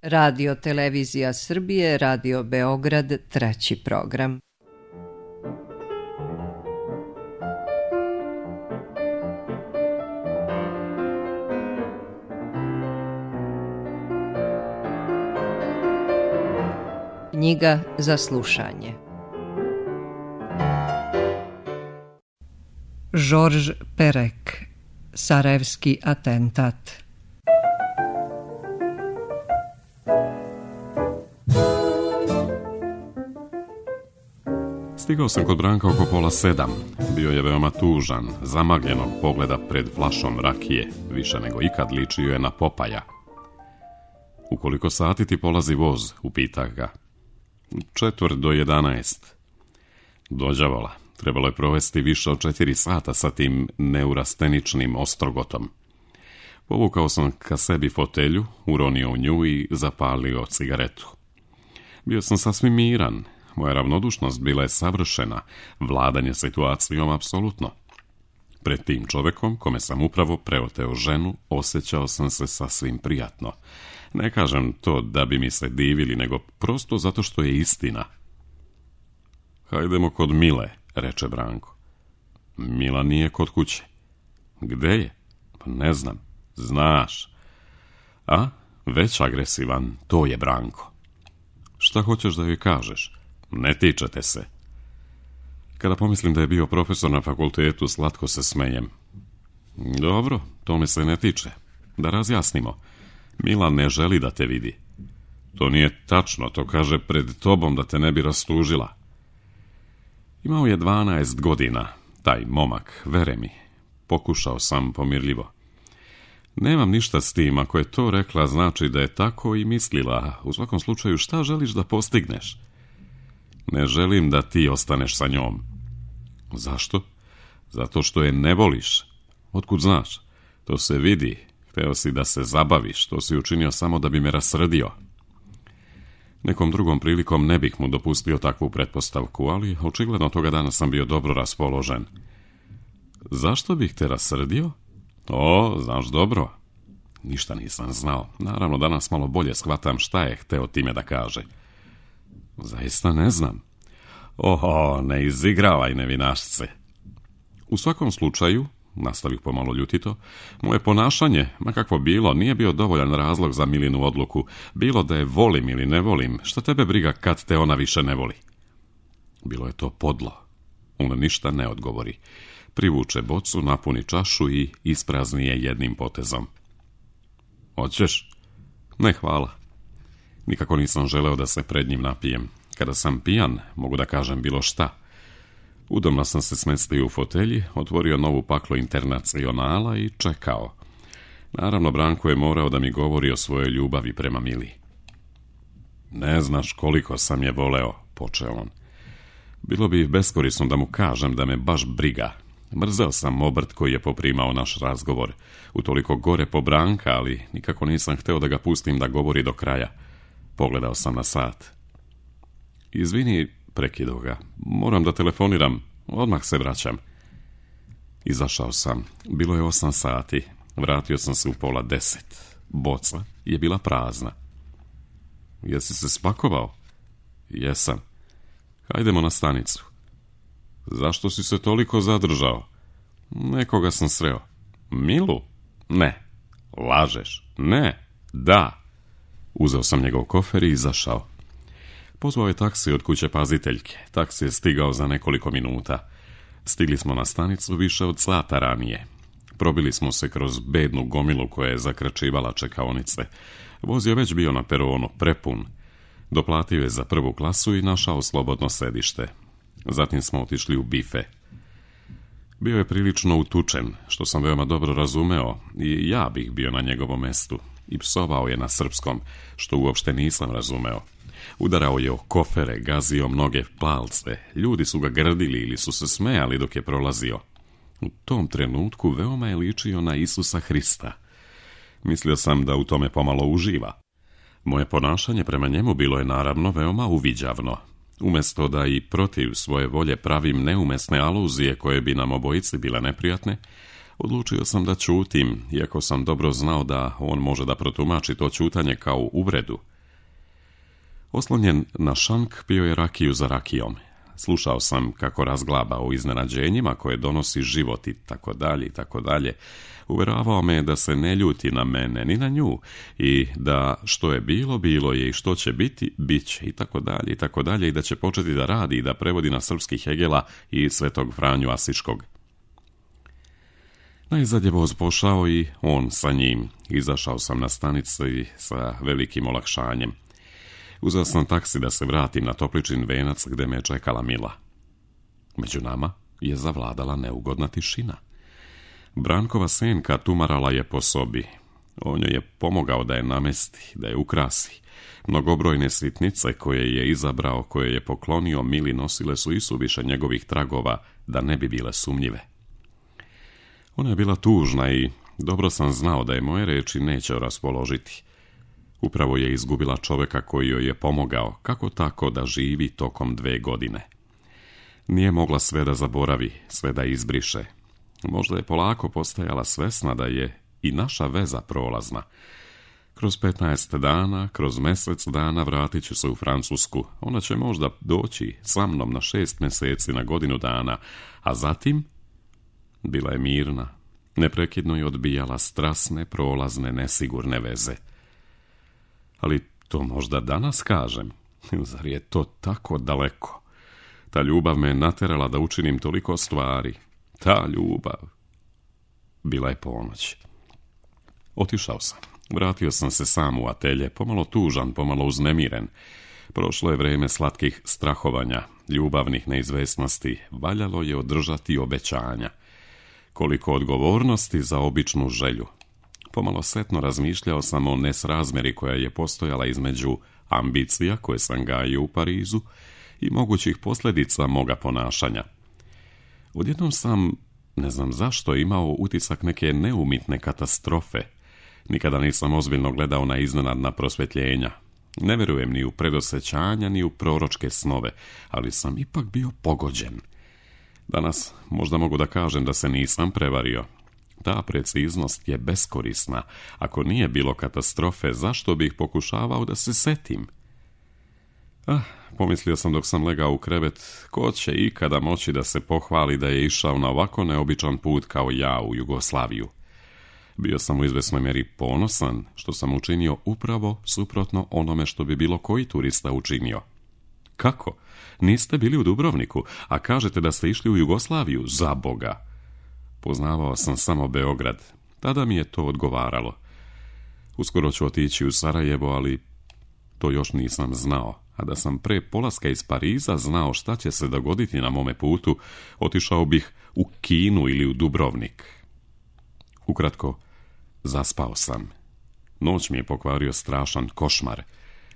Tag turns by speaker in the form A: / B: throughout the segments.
A: Radio Televizija Srbije, Radio Beograd, 3. program. Knjiga za slušanje. Georges Perec, Sarajevski atentat.
B: Stigao sam kod Branka oko 6:30. Bio je veoma tužan, zamagljenog pogleda pred flašom rakije, više nego ikad ličio je na Popaja. U koliko sati ti polazi voz, upitah ga. 10:45. Dođavola, trebalo je provesti više od 4 sata sa tim neurasteničnim ostrogotom. Povukao sam ka sebi fotelju, uronio u nju i zapalio cigaretu. Bio sam sasvim miran, moja ravnodušnost bila je savršena, vladanje situacijom apsolutno. Pred tim čovekom, kome sam upravo preoteo ženu, osjećao sam se sasvim prijatno. Ne kažem to da bi mi se divili, nego prosto zato što je istina. Hajdemo kod Mile, reče Branko. Mila nije kod kuće. Gde je? Pa ne znam. Znaš. A? Već agresivan, to je Branko. Šta hoćeš da joj kažeš? Ne tičete se. Kada pomislim da je bio profesor na fakultetu, slatko se smejem. Dobro, to me se ne tiče. Da razjasnimo. Mila ne želi da te vidi. To nije tačno, to kaže pred tobom da te ne bi rastužila. Imao je 12 godina, taj momak, vere mi. Pokušao sam pomirljivo. Nemam ništa s tim, ako je to rekla, znači da je tako i mislila. U svakom slučaju, šta želiš da postigneš? Ne želim da ti ostaneš sa njom. Zašto? Zato što je ne voliš. Otkud znaš? To se vidi. Hteo si da se zabaviš, to si učinio samo da bi me rasrdio. Nekom drugom prilikom ne bih mu dopustio takvu pretpostavku, ali očigledno toga dana sam bio dobro raspoložen. Zašto bih te rasrdio? O, znaš dobro. Ništa nisam znao. Naravno, danas malo bolje shvatam šta je hteo time da kaže. Zaista ne znam. Oho, ne izigravaj nevinašce. U svakom slučaju, nastavih pomalo ljutito, moje ponašanje, ma kakvo bilo, nije bio dovoljan razlog za Milinu odluku. Bilo da je volim ili ne volim, šta tebe briga kad te ona više ne voli? Bilo je to podlo. Ona ništa ne odgovori. Privuče bocu, napuni čašu i isprazni je jednim potezom. Hoćeš? Ne, hvala. Nikako nisam želeo da se pred njim napijem. Kada sam pijan, mogu da kažem bilo šta. Udobno sam se smestio u fotelji, otvorio novu paklo Internacionala i čekao. Naravno, Branko je morao da mi govori o svojoj ljubavi prema Mili. Ne znaš koliko sam je voleo, počeo on. Bilo bi beskorisno da mu kažem da me baš briga. Mrzeo sam obrt koji je poprimao naš razgovor. Utoliko gore po Branka, ali nikako nisam hteo da ga pustim da govori do kraja. Pogledao sam na sat. Izvini, prekido ga. Moram da telefoniram. Odmah se vraćam. Izašao sam. Bilo je 8 sati. Vratio sam se u 9:30. Boca je bila prazna. Jesi se spakovao? Jesam. Hajdemo na stanicu. Zašto si se toliko zadržao? Nekoga sam sreo. Milu? Ne. Lažeš? Ne. Da. Uzeo sam njegov kofer i izašao. Pozvao je taksi od kuće paziteljke. Taksi je stigao za nekoliko minuta. Stigli smo na stanicu više od sata ranije. Probili smo se kroz bednu gomilu koja je zakračivala čekaonice. Voz je već bio na peronu, prepun. Doplatio je za prvu klasu i našao slobodno sedište. Zatim smo otišli u bife. Bio je prilično utučen, što sam veoma dobro razumeo, i ja bih bio na njegovom mestu. I psovao je na srpskom, što uopšte nisam razumeo. Udarao je o kofere, gazio mnoge palce. Ljudi su ga grdili ili su se smejali dok je prolazio. U tom trenutku veoma je ličio na Isusa Hrista. Mislio sam da u tome pomalo uživa. Moje ponašanje prema njemu bilo je naravno veoma uviđavno. Umjesto da i protiv svoje volje pravim neumesne aluzije koje bi nam obojici bile neprijatne, odlučio sam da ćutim, iako sam dobro znao da on može da protumači to ćutanje kao uvredu. Oslonjen na šank pio je rakiju za rakijom. Slušao sam kako razglaba o iznenađenjima koje donosi život i tako dalje i tako dalje. Uveravao me da se ne ljuti na mene ni na nju i da što je bilo, bilo je i što će biti, bit će i tako dalje i da će početi da radi i da prevodi na srpski Hegela i Svetog Franju Asiškog. Najzad je voz pošao i on sa njim. Izašao sam na stanici sa velikim olakšanjem. Uzeo sam taksi da se vratim na Topličin venac gde me je čekala Mila. Među nama je zavladala neugodna tišina. Brankova senka tumarala je po sobi. On joj je pomogao da je namesti, da je ukrasi. Mnogobrojne sitnice koje je izabrao, koje je poklonio Mili nosile su isuviše njegovih tragova da ne bi bile sumnjive. Ona je bila tužna i dobro sam znao da je moje reči neće raspoložiti. Upravo je izgubila čoveka koji joj je pomogao, kako tako da živi tokom 2 godine. Nije mogla sve da zaboravi, sve da izbriše. Možda je polako postajala svesna da je i naša veza prolazna. Kroz 15 dana, kroz mjesec dana vratit ću se u Francusku. Ona će možda doći sa mnom na 6 mjeseci, na godinu dana, a zatim bila je mirna, neprekidno je odbijala strasne, prolazne, nesigurne veze. Ali to možda danas kažem, zar je to tako daleko? Ta ljubav me naterala da učinim toliko stvari. Ta ljubav. Bila je ponoć. Otišao sam. Vratio sam se sam u atelje, pomalo tužan, pomalo uznemiren. Prošlo je vreme slatkih strahovanja, ljubavnih neizvesnosti. Valjalo je održati obećanja. Koliko odgovornosti za običnu želju. Pomalo setno razmišljao sam o nesrazmjeri koja je postojala između ambicija koje sam gajio u Parizu i mogućih posljedica moga ponašanja. Odjednom sam, ne znam zašto, imao utisak neke neumitne katastrofe. Nikada nisam ozbiljno gledao na iznenadna prosvjetljenja. Ne vjerujem ni u predosjećanja, ni u proročke snove, ali sam ipak bio pogođen. Danas možda mogu da kažem da se nisam prevario. Ta preciznost je beskorisna. Ako nije bilo katastrofe, zašto bih pokušavao da se setim? Pomislio sam dok sam legao u krevet, ko će ikada moći da se pohvali da je išao na ovako neobičan put kao ja u Jugoslaviju. Bio sam u izvesnoj mjeri ponosan što sam učinio upravo suprotno onome što bi bilo koji turista učinio. Kako? Niste bili u Dubrovniku, a kažete da ste išli u Jugoslaviju, za Boga. Poznavao sam samo Beograd. Tada mi je to odgovaralo. Uskoro ću otići u Sarajevo, ali to još nisam znao. A da sam pre polaska iz Pariza znao šta će se dogoditi na mome putu, otišao bih u Kinu ili u Dubrovnik. Ukratko, zaspao sam. Noć mi je pokvario strašan košmar.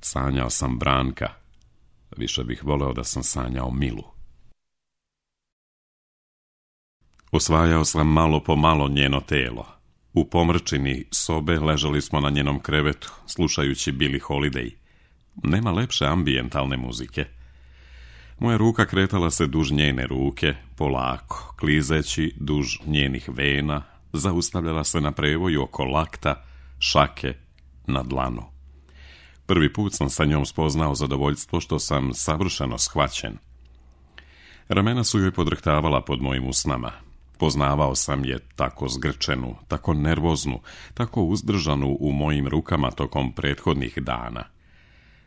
B: Sanjao sam Branka. Više bih voleo da sam sanjao Milu. Osvajao sam malo po malo njeno telo. U pomrčini sobe ležali smo na njenom krevetu, slušajući Billie Holiday. Nema lepše ambijentalne muzike. Moja ruka kretala se duž njene ruke, polako, klizeći duž njenih vena, zaustavljala se na prevoju oko lakta, šake, na dlanu. Prvi put sam sa njom spoznao zadovoljstvo što sam savršeno shvaćen. Ramena su joj podrhtavala pod mojim usnama. Poznavao sam je tako zgrčenu, tako nervoznu, tako uzdržanu u mojim rukama tokom prethodnih dana.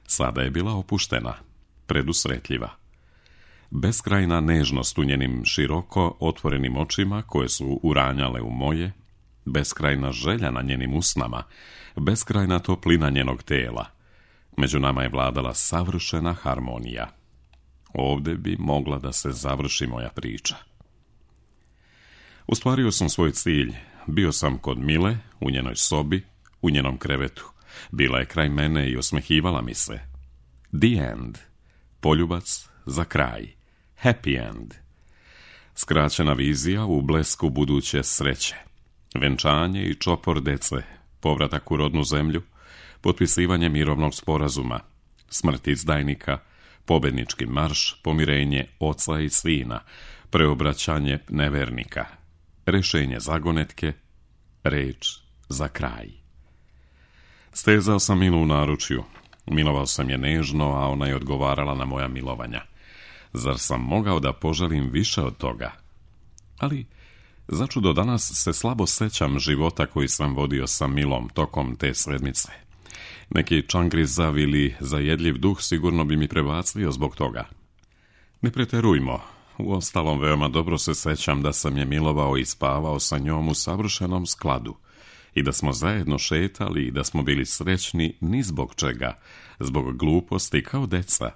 B: Sada je bila opuštena, predusretljiva. Beskrajna nežnost u njenim široko otvorenim očima koje su uranjale u moje, beskrajna želja na njenim usnama, beskrajna toplina njenog tela. Među nama je vladala savršena harmonija. Ovdje bi mogla da se završi moja priča. Ostvario sam svoj cilj. Bio sam kod Mile, u njenoj sobi, u njenom krevetu. Bila je kraj mene i osmehivala mi se. The end. Poljubac za kraj. Happy end. Skraćena vizija u blesku buduće sreće. Venčanje i čopor dece. Povratak u rodnu zemlju. Potpisivanje mirovnog sporazuma. Smrt izdajnika. Pobednički marš. Pomirenje oca i sina. Preobraćanje nevernika. Rešenje zagonetke. Reč za kraj. Stezao sam Milu u naručju. Milovao sam je nežno, a ona je odgovarala na moja milovanja. Zar sam mogao da poželim više od toga? Ali, začudo, danas se slabo sećam života koji sam vodio sa Milom tokom te sedmice. Neki čangrizav ili zajedljiv duh sigurno bi mi prebacio zbog toga. Ne preterujmo. Uostalom, veoma dobro se sećam da sam je milovao i spavao sa njom u savršenom skladu i da smo zajedno šetali i da smo bili srećni ni zbog čega, zbog gluposti kao deca.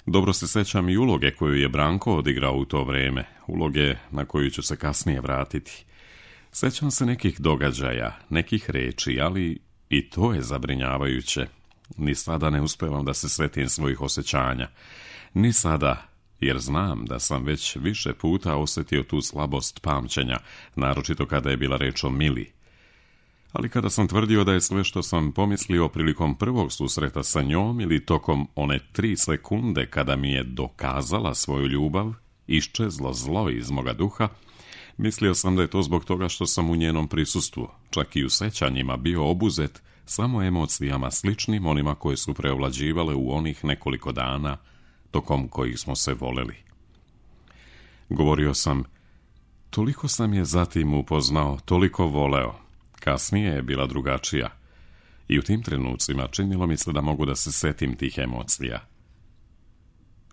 B: Dobro se sećam i uloge koju je Branko odigrao u to vreme, uloge na koju ću se kasnije vratiti. Sećam se nekih događaja, nekih reči, ali i to je zabrinjavajuće. Ni sada ne uspevam da se setim svojih osjećanja. Ni sada, jer znam da sam već više puta osjetio tu slabost pamćenja, naročito kada je bila reč o Mili. Ali kada sam tvrdio da je sve što sam pomislio prilikom prvog susreta sa njom ili tokom one 3 sekunde kada mi je dokazala svoju ljubav, iščezlo zlo iz moga duha, mislio sam da je to zbog toga što sam u njenom prisustvu, čak i u sećanjima, bio obuzet samo emocijama sličnim onima koje su preovlađivale u onih nekoliko dana tokom kojih smo se voleli. Govorio sam, toliko sam je zatim upoznao, toliko voleo. Kasnije je bila drugačija i u tim trenucima činilo mi se da mogu da se setim tih emocija.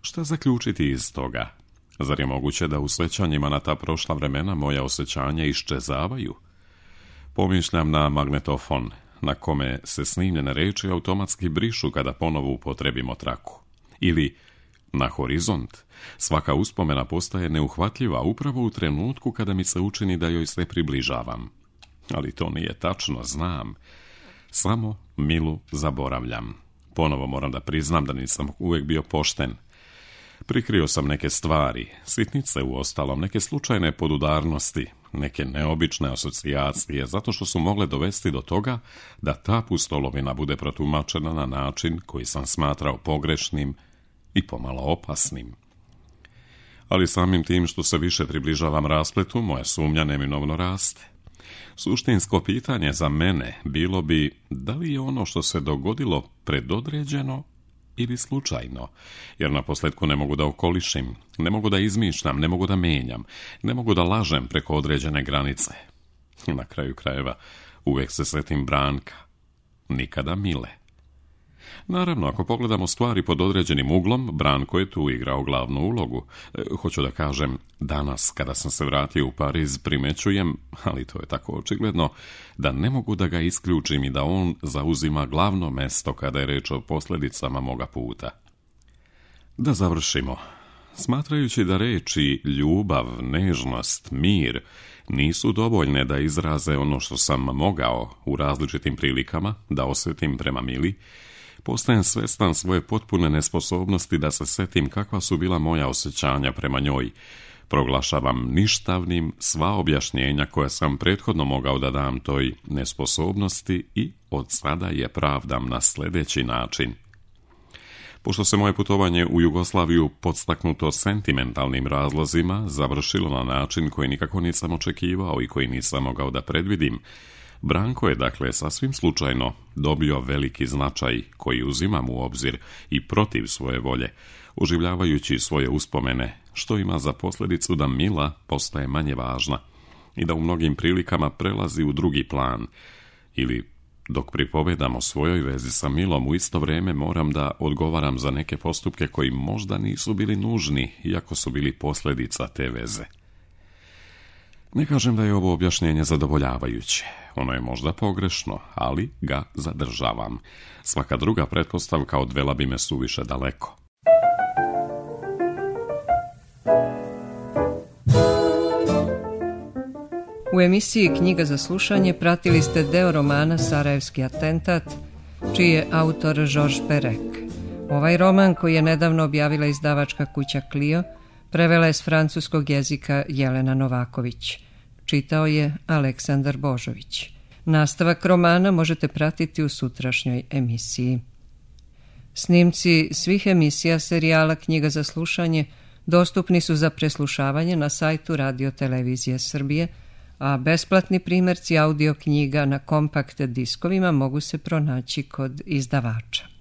B: Šta zaključiti iz toga? Zar je moguće da u sećanjima na ta prošla vremena moja osjećanja iščezavaju? Pomišljam na magnetofon, na kome se snimljene reči automatski brišu kada ponovo upotrebimo traku. Ili na horizont. Svaka uspomena postaje neuhvatljiva upravo u trenutku kada mi se učini da joj se približavam. Ali to nije tačno, znam. Samo Milu zaboravljam. Ponovo moram da priznam da nisam uvijek bio pošten. Prikrio sam neke stvari, sitnice uostalom, neke slučajne podudarnosti, neke neobične asocijacije, zato što su mogle dovesti do toga da ta pustolovina bude protumačena na način koji sam smatrao pogrešnim i pomalo opasnim. Ali samim tim što se više približavam raspletu, moja sumnja neminovno raste. Suštinsko pitanje za mene bilo bi da li je ono što se dogodilo predodređeno ili slučajno, jer naposljetku ne mogu da okolišim, ne mogu da izmišljam, ne mogu da menjam, ne mogu da lažem preko određene granice. Na kraju krajeva uvijek se setim Branka, nikada Mile. Naravno, ako pogledamo stvari pod određenim uglom, Branko je tu igrao glavnu ulogu. Hoću da kažem, danas kada sam se vratio u Pariz primećujem, ali to je tako očigledno, da ne mogu da ga isključim i da on zauzima glavno mesto kada je reč o posljedicama moga puta. Da završimo. Smatrajući da reči ljubav, nežnost, mir nisu dovoljne da izraze ono što sam mogao u različitim prilikama da osjetim prema Mili, postajem svestan svoje potpune nesposobnosti da se setim kakva su bila moja osjećanja prema njoj. Proglašavam ništavnim sva objašnjenja koja sam prethodno mogao da dam toj nesposobnosti i od sada je pravdam na sljedeći način. Pošto se moje putovanje u Jugoslaviju podstaknuto sentimentalnim razlozima završilo na način koji nikako nisam očekivao i koji nisam mogao da predvidim, Branko je dakle sasvim slučajno dobio veliki značaj koji uzimam u obzir i protiv svoje volje, oživljavajući svoje uspomene, što ima za posljedicu da Mila postaje manje važna i da u mnogim prilikama prelazi u drugi plan. Ili, dok pripovedam o svojoj vezi sa Milom, u isto vrijeme moram da odgovaram za neke postupke koji možda nisu bili nužni, iako su bili posljedica te veze. Ne kažem da je ovo objašnjenje zadovoljavajuće. Ono je možda pogrešno, ali ga zadržavam. Svaka druga pretpostavka odvela bi me suviše daleko.
A: U emisiji Knjiga za slušanje pratili ste deo romana Sarajevski atentat, čiji je autor Georges Perec. Ovaj roman, koji je nedavno objavila izdavačka kuća Clio, prevela je s francuskog jezika Jelena Novaković. Čitao je Aleksandar Božović. Nastavak romana možete pratiti u sutrašnjoj emisiji. Snimci svih emisija serijala Knjiga za slušanje dostupni su za preslušavanje na sajtu Radio Televizije Srbije, a besplatni primjerci audio knjiga na kompakt diskovima mogu se pronaći kod izdavača.